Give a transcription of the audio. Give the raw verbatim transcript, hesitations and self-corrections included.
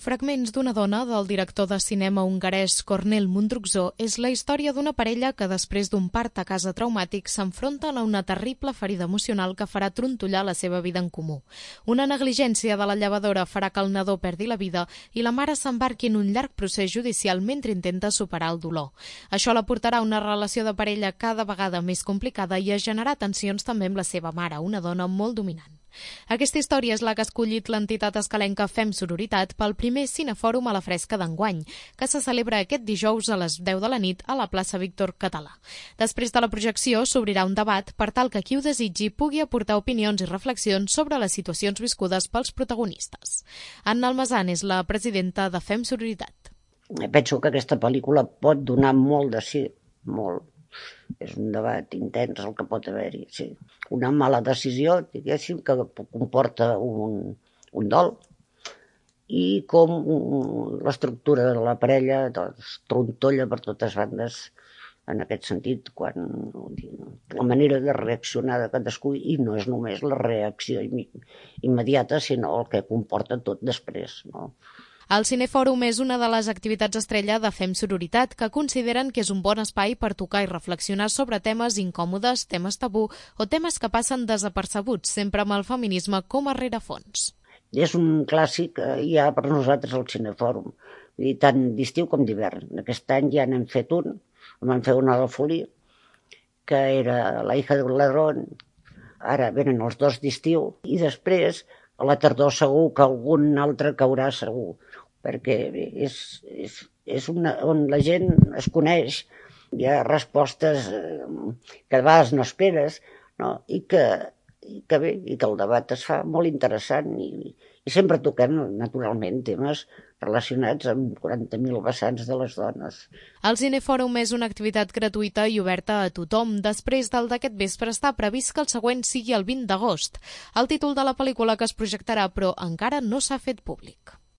Fragments d'una dona, del director de cinema hongarès Kornél Mundruczó, és la història d'una parella que després d'un part a casa traumàtic s'enfronten a una terrible ferida emocional que farà trontollar la seva vida en comú. Una negligència de la llevadora farà que el nadó perdi la vida i la mare s'embarqui en un llarg procés judicial mentre intenta superar el dolor. Això la portarà a una relació de parella cada vegada més complicada i a generar tensions també amb la seva mare, una dona molt dominant. Aquesta història és la que ha escollit l'entitat escalenca Fem Sororitat pel primer cinefòrum a la Fresca d'enguany, que se celebra aquest dijous a les deu de la nit a la plaça Víctor Català. Després de la projecció s'obrirà un debat per tal que qui ho desitgi pugui aportar opinions i reflexions sobre les situacions viscudes pels protagonistes. Anna Almazán és la presidenta de Fem Sororitat. Penso que aquesta pel·lícula pot donar molt de sí, molt. És un debat intens el que pot haver-hi, sí. Una mala decisió, diguéssim, que comporta un, un dol, i com l'estructura de la parella doncs, trontolla per totes bandes en aquest sentit, quan la manera de reaccionar de cadascú, i no és només la reacció immediata, sinó el que comporta tot després, no? El Cinefòrum és una de les activitats estrella de Fem Sororitat, que consideren que és un bon espai per tocar i reflexionar sobre temes incòmodes, temes tabú o temes que passen desapercebuts, sempre amb el feminisme com a rerefons. És un clàssic, ja per nosaltres el Cinefòrum, tant d'estiu com d'hivern. Aquest any ja n'hem fet un, en vam fer una a la Folia, que era La hija del ladrón, ara venen els dos d'estiu, i després a la tardor segur que algun altre caurà segur, perquè és, és, és una, on la gent es coneix, hi ha respostes que a vegades no esperes, no? I, que, i, que bé, i que el debat es fa molt interessant i, i sempre toquem naturalment temes relacionats amb quaranta mil vessants de les dones. El Cinefòrum és una activitat gratuïta i oberta a tothom. Després del d'aquest vespre està previst que el següent sigui el vint d'agost. El títol de la pel·lícula que es projectarà, però encara no s'ha fet públic.